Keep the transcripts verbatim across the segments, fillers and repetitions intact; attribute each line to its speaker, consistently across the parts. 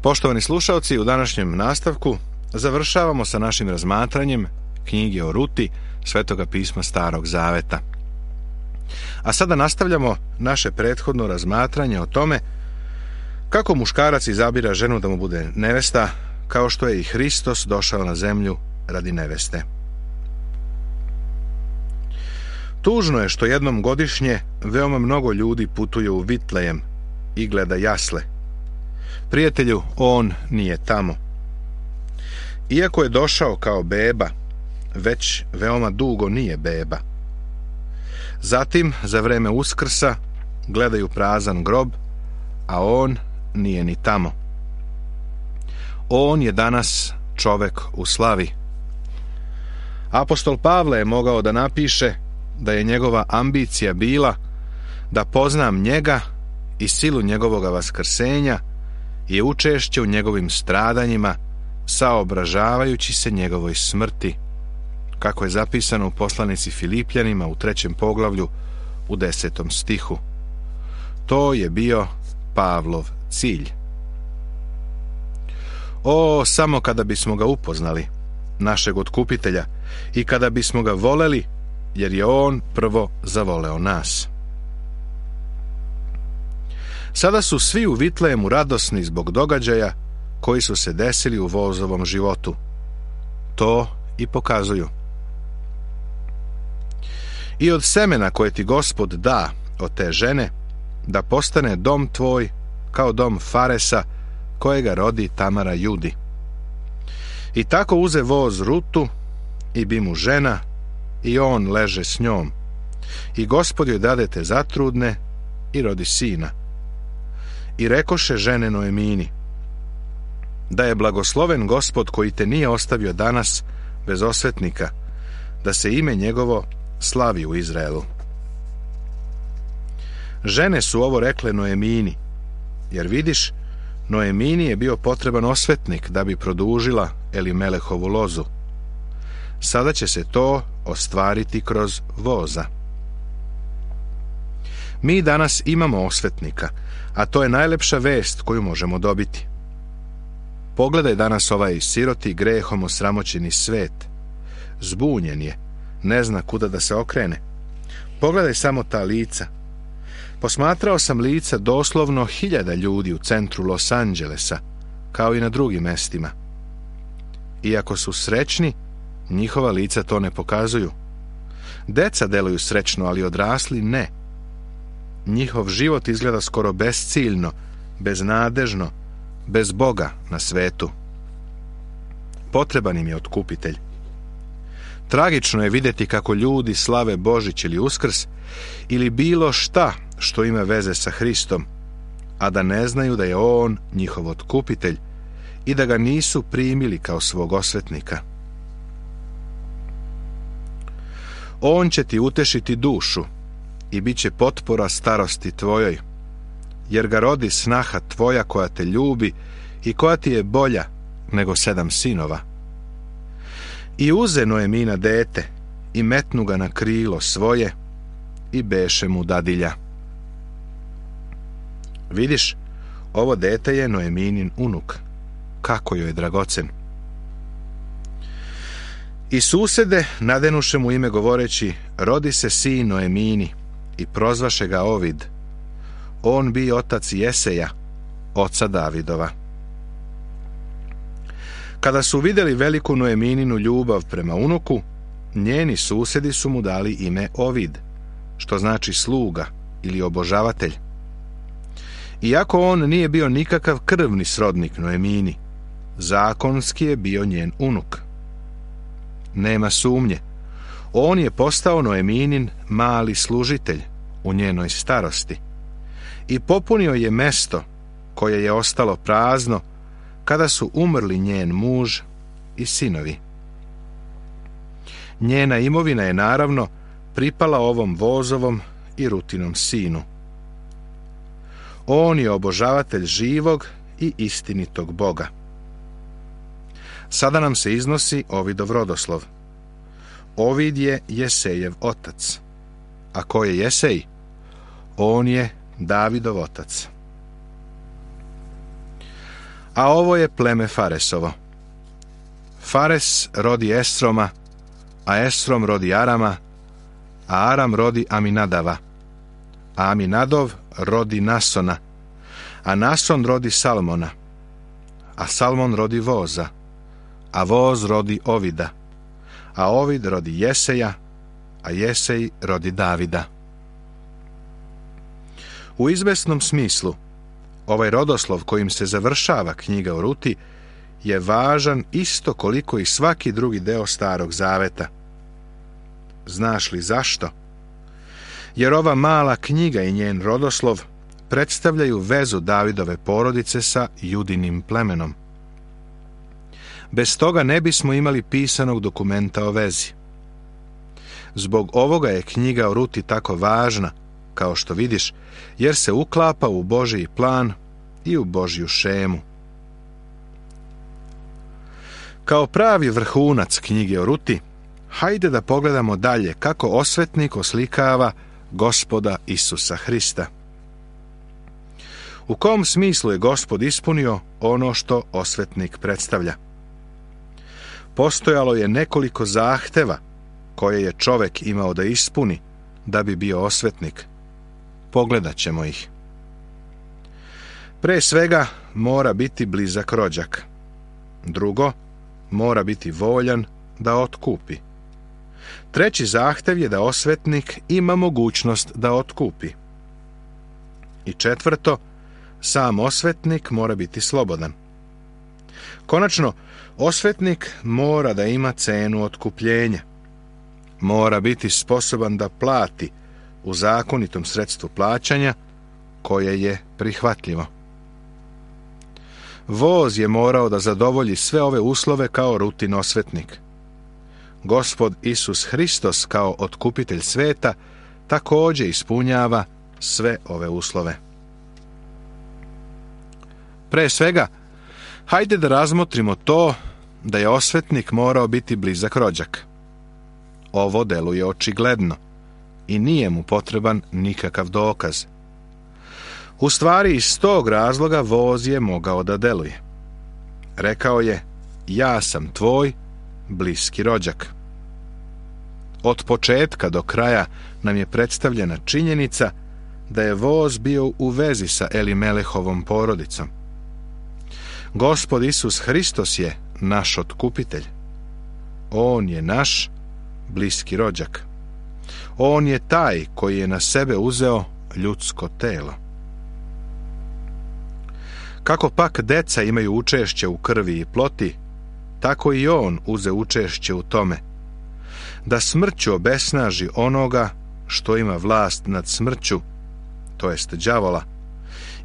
Speaker 1: Poštovani slušalci, u današnjem nastavku završavamo sa našim razmatranjem knjige o Ruti, Svetoga pisma Starog Zaveta. A sada nastavljamo naše prethodno razmatranje o tome kako muškarac izabira ženu da mu bude nevesta, kao što je i Hristos došao na zemlju radi neveste. Tužno je što jednom godišnje veoma mnogo ljudi putuje u Vitlejem i gleda jasle. Prijatelju, on nije tamo. Iako je došao kao beba, već veoma dugo nije beba. Zatim, za vreme Uskrsa, gledaju prazan grob, a on nije ni tamo. On je danas čovek u slavi. Apostol Pavle je mogao da napiše da je njegova ambicija bila da poznam njega i silu njegovoga vaskrsenja i učešće u njegovim stradanjima, saobražavajući se njegovoj smrti, kako je zapisano u poslanici Filipljanima u trećem poglavlju u desetom stihu. To je bio Pavlov cilj. O, samo kada bismo ga upoznali, našeg otkupitelja, i kada bismo ga voleli, jer je on prvo zavoleo nas. Sada su svi u Vitlejemu radosni zbog događaja koji su se desili u vozovom životu. To i pokazuju. I od semena koje ti Gospod da od te žene, da postane dom tvoj kao dom Faresa, kojega rodi Tamara Judi. I tako uze voz Rutu i bi mu žena, i on leže s njom. I Gospod joj dade te zatrudne i rodi sina. I rekoše žene Noemini, da je blagosloven Gospod koji te nije ostavio danas bez osvetnika, da se ime njegovo slavi u Izraelu. Žene su ovo rekle Noemini, jer vidiš, Noemini je bio potreban osvetnik da bi produžila Elimelehovu lozu. Sada će se to ostvariti kroz voza. Mi danas imamo osvetnika, a to je najlepša vest koju možemo dobiti. Pogledaj danas ovaj siroti grehom osramoćeni svet. Zbunjen je, ne zna kuda da se okrene. Pogledaj samo ta lica. Posmatrao sam lica doslovno hiljada ljudi u centru Los Angelesa, kao i na drugim mestima. Iako su srećni, njihova lica to ne pokazuju. Deca deluju srećno, ali odrasli ne. Njihov život izgleda skoro besciljno, beznadežno, bez Boga na svetu. Potreban im je otkupitelj. Tragično je vidjeti kako ljudi slave Božić ili Uskrs ili bilo šta što ima veze sa Hristom, a da ne znaju da je on njihov otkupitelj i da ga nisu primili kao svog osvetnika. On će ti utešiti dušu i bit će potpora starosti tvojoj, jer ga rodi snaha tvoja koja te ljubi i koja ti je bolja nego sedam sinova. I uze Noemina dete i metnu ga na krilo svoje i beše mu dadilja. Vidiš, ovo dete je Noeminin unuk. Kako joj je dragocen. I susede nadenuše mu ime govoreći, rodi se sin Noemini, i prozvaše ga Ovid. On bi otac Jeseja, oca Davidova. Kada su vidjeli veliku Noemininu ljubav prema unuku, njeni susedi su mu dali ime Ovid, što znači sluga ili obožavatelj. Iako on nije bio nikakav krvni srodnik Noemini, zakonski je bio njen unuk. Nema sumnje, on je postao Noeminin mali služitelj u njenoj starosti i popunio je mesto koje je ostalo prazno kada su umrli njen muž i sinovi. Njena imovina je naravno pripala ovom vozovom i Rutinom sinu. On je obožavatelj živog i istinitog Boga. Sada nam se iznosi Ovidov rodoslov. Ovid je Jesejev otac. A ko je Jesej? On je Davidov otac. a ovo je pleme Faresovo. Fares rodi Esroma, a Esrom rodi Arama, a Aram rodi Aminadava, a Aminadov rodi Nasona, a Nason rodi Salmona, a Salmon rodi Voza, a Voz rodi Ovida, a Ovid rodi Jeseja, a Jesej rodi Davida. U izvesnom smislu, ovaj rodoslov kojim se završava knjiga o Ruti je važan isto koliko i svaki drugi deo Starog Zaveta. Znaš li zašto? Jer ova mala knjiga i njen rodoslov predstavljaju vezu Davidove porodice sa Judinim plemenom. Bez toga ne bismo imali pisanog dokumenta o vezi. Zbog ovoga je knjiga o Ruti tako važna, kao što vidiš, jer se uklapa u Božji plan i u Božju šemu. Kao pravi vrhunac knjige o Ruti, hajde da pogledamo dalje kako osvetnik oslikava Gospoda Isusa Hrista. U kom smislu je Gospod ispunio ono što osvetnik predstavlja? Postojalo je nekoliko zahteva koje je čovek imao da ispuni da bi bio osvetnik. Pogledat ćemo ih. Pre svega mora biti blizak rođak. Drugo, mora biti voljan da otkupi. Treći zahtev je da osvetnik ima mogućnost da otkupi. I četvrto, sam osvetnik mora biti slobodan. Konačno, osvetnik mora da ima cenu otkupljenja. Mora biti sposoban da plati u zakonitom sredstvu plaćanja koje je prihvatljivo. Voz je morao da zadovolji sve ove uslove kao Rutin osvetnik. Gospod Isus Hristos kao otkupitelj sveta također ispunjava sve ove uslove. Pre svega, hajde da razmotrimo to da je osvetnik morao biti blizak rođak. Ovo deluje očigledno i nije mu potreban nikakav dokaz. U stvari, iz tog razloga voz je mogao da deluje. Rekao je, ja sam tvoj bliski rođak. Od početka do kraja nam je predstavljena činjenica da je voz bio u vezi sa Elimelehovom porodicom. Gospod Isus Hristos je naš otkupitelj. On je naš bliski rođak. On je taj koji je na sebe uzeo ljudsko telo. Kako pak deca imaju učešće u krvi i ploti, tako i on uze učešće u tome, da smrću obesnaži onoga što ima vlast nad smrću, to jest đavola,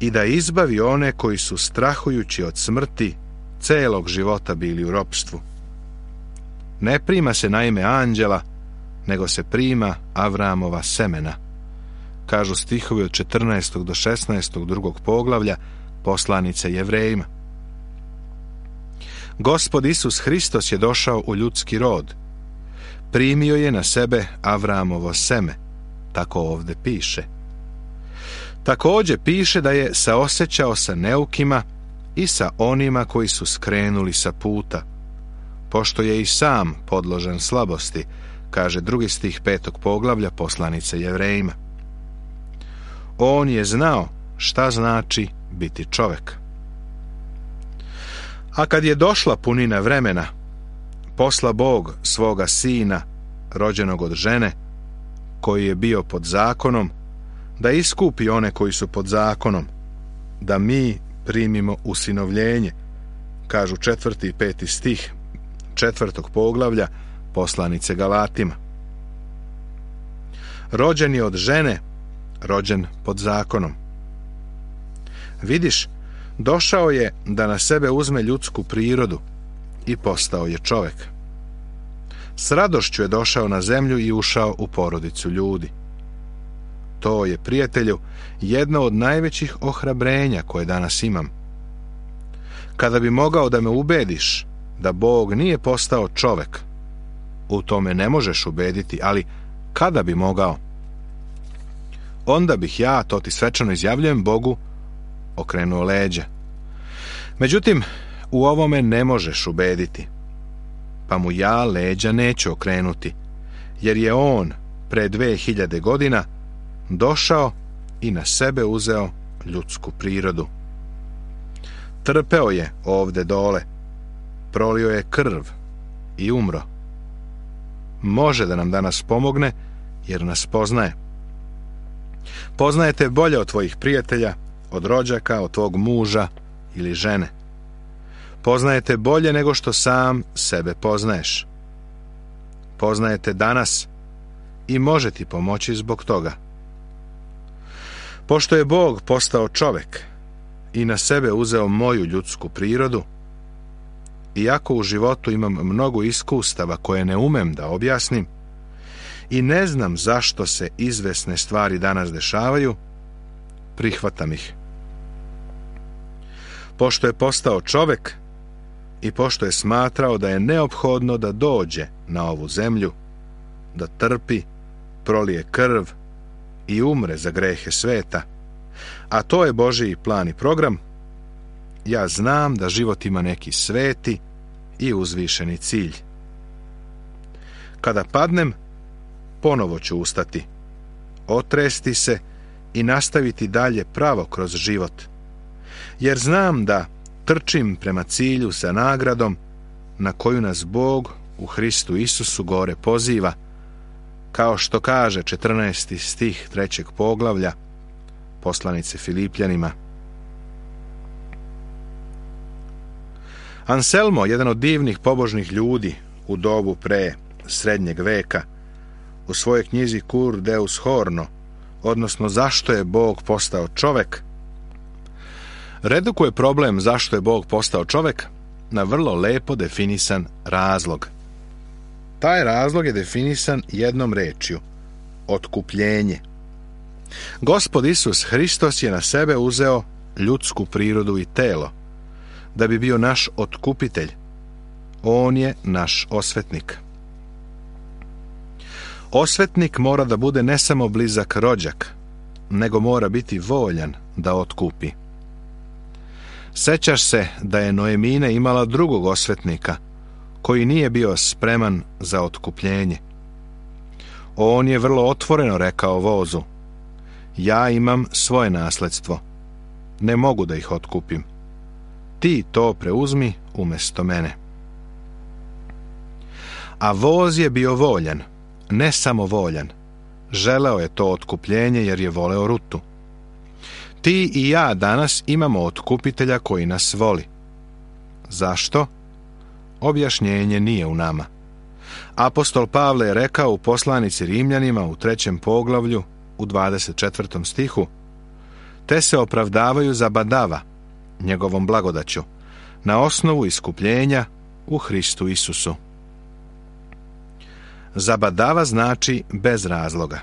Speaker 1: i da izbavi one koji su strahujući od smrti celog života bili u ropstvu. Ne prima se naime anđela, nego se prima Avramova semena, kažu stihovi od četrnaestog do šesnaestog drugog poglavlja poslanice Jevrejima. Gospod Isus Hristos je došao u ljudski rod. Primio je na sebe Avramovo seme, tako ovde piše. Također piše da je saosećao sa neukima i sa onima koji su skrenuli sa puta, pošto je i sam podložan slabosti, kaže drugi stih petog poglavlja poslanice Jevrejima. On je znao šta znači biti čovek. A kad je došla punina vremena, posla Bog svoga sina, rođenog od žene, koji je bio pod zakonom, da iskupi one koji su pod zakonom, da mi primimo usinovljenje, kažu četvrti i peti stih četvrtog poglavlja poslanice Galatima. Rođen je od žene, rođen pod zakonom. Vidiš, došao je da na sebe uzme ljudsku prirodu i postao je čovek. S radošću je došao na zemlju i ušao u porodicu ljudi. To je, prijatelju, jedno od najvećih ohrabrenja koje danas imam. Kada bi mogao da me ubediš da Bog nije postao čovek, u tome ne možeš ubediti, ali kada bi mogao, onda bih ja, to ti svečano izjavljujem, Bogu okrenuo leđa. Međutim, u ovome ne možeš ubediti, pa mu ja leđa neću okrenuti, jer je on pre dve hiljade godina došao i na sebe uzeo ljudsku prirodu. Trpeo je ovde dole, prolio je krv i umro. Može da nam danas pomogne, jer nas poznaje. Poznajete bolje od tvojih prijatelja, od rođaka, od tvog muža ili žene. Poznajete bolje nego što sam sebe poznaješ. Poznajete danas i može ti pomoći zbog toga. Pošto je Bog postao čovek i na sebe uzeo moju ljudsku prirodu, iako u životu imam mnogo iskustava koje ne umem da objasnim i ne znam zašto se izvesne stvari danas dešavaju, prihvatam ih. Pošto je postao čovek i pošto je smatrao da je neophodno da dođe na ovu zemlju, da trpi, prolije krv i umre za grehe sveta, a to je Božji plan i program, ja znam da život ima neki sveti i uzvišeni cilj. Kada padnem, ponovo ću ustati, otresti se i nastaviti dalje pravo kroz život, jer znam da trčim prema cilju sa nagradom na koju nas Bog u Hristu Isusu gore poziva, kao što kaže četrnaesti stih trećeg poglavlja poslanice Filipljanima. Anselmo, jedan od divnih pobožnih ljudi u dobu pre srednjeg veka, u svojoj knjizi Cur Deus Horno, odnosno zašto je Bog postao čovek, redukuje problem zašto je Bog postao čovek na vrlo lepo definisan razlog. Taj razlog je definisan jednom rečju: otkupljenje. Gospod Isus Hristos je na sebe uzeo ljudsku prirodu i telo, da bi bio naš otkupitelj. On je naš osvetnik. Osvetnik mora da bude ne samo blizak rođak, nego mora biti voljan da otkupi. Sećaš se da je Noemina imala drugog osvetnika, koji nije bio spreman za otkupljenje. On je vrlo otvoreno rekao vozu: ja imam svoje nasledstvo, ne mogu da ih otkupim. Ti to preuzmi umjesto mene. A voz je bio voljan, ne samo voljan, želeo je to otkupljenje jer je voleo Rutu. Ti i ja danas imamo otkupitelja koji nas voli. Zašto? Objašnjenje nije u nama. Apostol Pavle je rekao u poslanici Rimljanima u trećem poglavlju u dvadeset četvrtom stihu: te se opravdavaju za badava, njegovom blagodaću, na osnovu iskupljenja u Hristu Isusu. Zabadava znači bez razloga.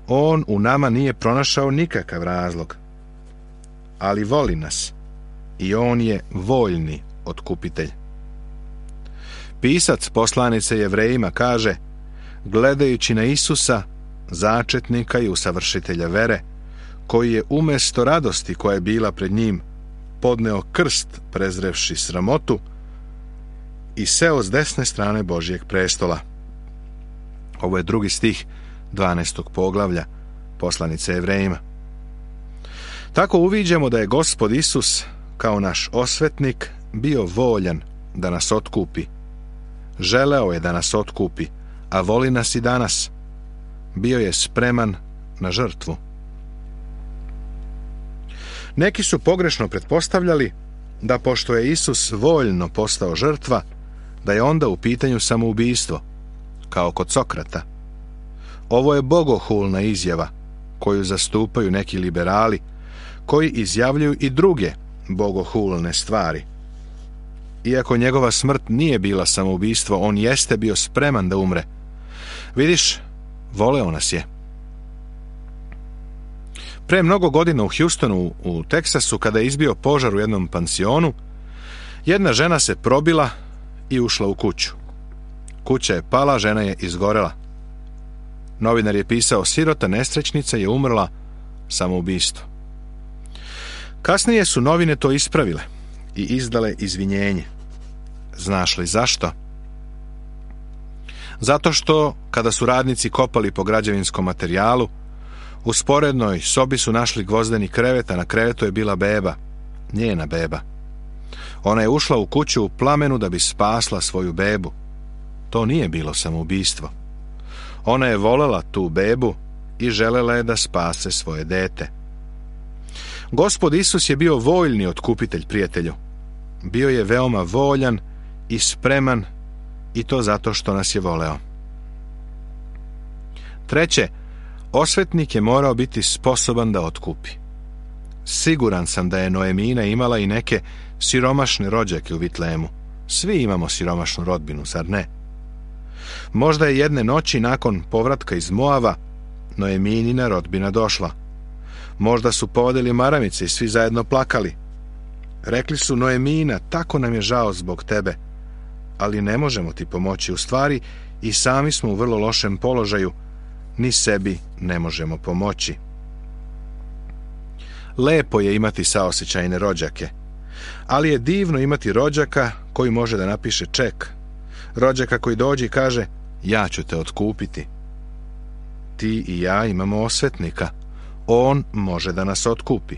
Speaker 1: On u nama nije pronašao nikakav razlog, ali voli nas i on je voljni otkupitelj. Pisac poslanice Jevrejima kaže: gledajući na Isusa, začetnika i usavršitelja vere, koji je umjesto radosti koja je bila pred njim podneo krst prezrevši sramotu i seo s desne strane Božjeg prestola. Ovo je drugi stih dvanaestog poglavlja poslanice Jevrejima. Tako uviđamo da je Gospod Isus kao naš osvetnik bio voljan da nas otkupi. Želeo je da nas otkupi, a voli nas i danas. Bio je spreman na žrtvu. Neki su pogrešno pretpostavljali da pošto je Isus voljno postao žrtva, da je onda u pitanju samoubistvo, kao kod Sokrata. Ovo je bogohulna izjava koju zastupaju neki liberali, koji izjavljuju i druge bogohulne stvari. Iako njegova smrt nije bila samoubistvo, on jeste bio spreman da umre. Vidiš, voleo nas je. Pre mnogo godina u Houstonu u Teksasu, kada je izbio požar u jednom pansionu, jedna žena se probila i ušla u kuću. Kuća je pala, žena je izgorela. Novinar je pisao: sirota nesrećnica je umrla samoubistvo. Kasnije su novine to ispravile i izdale izvinjenje. Znaš li zašto? Zato što, kada su radnici kopali po građevinskom materijalu, u sporednoj sobi su našli gvozdeni krevet, a na krevetu je bila beba, njena beba. Ona je ušla u kuću u plamenu da bi spasla svoju bebu. To nije bilo samoubistvo. Ona je volela tu bebu i želela je da spase svoje dete. Gospod Isus je bio voljni otkupitelj, prijatelju. Bio je veoma voljan i spreman, i to zato što nas je voleo. Treće, osvetnik je morao biti sposoban da otkupi. Siguran sam da je Noemina imala i neke siromašne rođake u Vitlemu. Svi imamo siromašnu rodbinu, zar ne? Možda je jedne noći nakon povratka iz Moava Noeminina rodbina došla. Možda su povodili maramice i svi zajedno plakali. Rekli su: Noemina, tako nam je žao zbog tebe, ali ne možemo ti pomoći. U stvari i sami smo u vrlo lošem položaju, ni sebi ne možemo pomoći. Lepo je imati saosećajne rođake, ali je divno imati rođaka koji može da napiše ček. Rođaka koji dođe i kaže: ja ću te otkupiti. Ti i ja imamo osvetnika. On može da nas otkupi.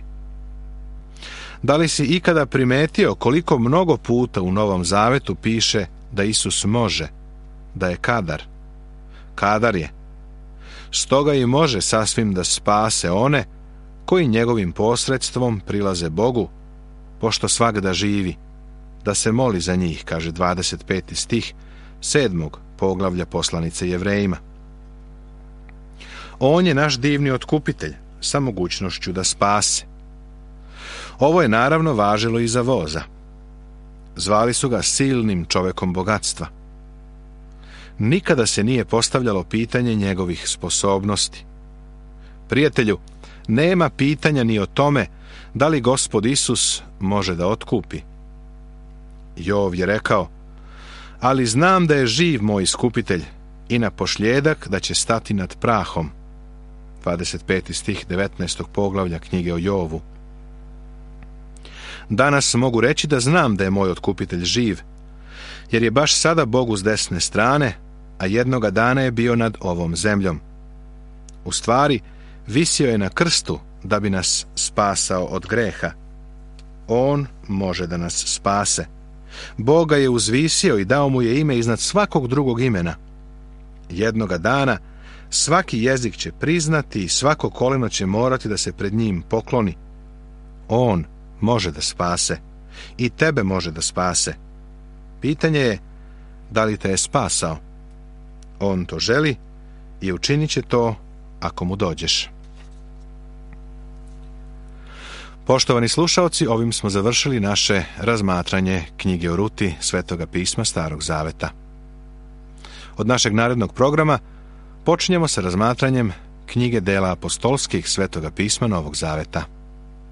Speaker 1: Da li si ikada primetio koliko mnogo puta u Novom Zavetu piše da Isus može, da je kadar? Kadar je. Stoga i može sasvim da spase one koji njegovim posredstvom prilaze Bogu, pošto svagda živi, da se moli za njih, kaže dvadeset peti stih sedmog poglavlja poslanice Jevrejima. On je naš divni otkupitelj sa mogućnošću da spase. Ovo je naravno važilo i za voza. Zvali su ga silnim čovekom bogatstva. Nikada se nije postavljalo pitanje njegovih sposobnosti. Prijatelju, nema pitanja ni o tome da li Gospod Isus može da otkupi. Jov je rekao: ali znam da je živ moj iskupitelj i na pošljedak da će stati nad prahom. dvadeset peti stih devetnaestog poglavlja knjige o Jovu. Danas mogu reći da znam da je moj otkupitelj živ, jer je baš sada Bogu s desne strane, a jednoga dana je bio nad ovom zemljom. U stvari, visio je na krstu da bi nas spasao od greha. On može da nas spase. Bog ga je uzvisio i dao mu je ime iznad svakog drugog imena. Jednoga dana svaki jezik će priznati i svako koleno će morati da se pred njim pokloni. On može da spase i tebe može da spase. Pitanje je da li te je spasao. On to želi i učinit će to ako mu dođeš. Poštovani slušaoci, ovim smo završili naše razmatranje knjige o Ruti Svetoga pisma Starog Zaveta. Od našeg narednog programa počinjemo sa razmatranjem knjige dela apostolskih Svetoga pisma Novog Zaveta.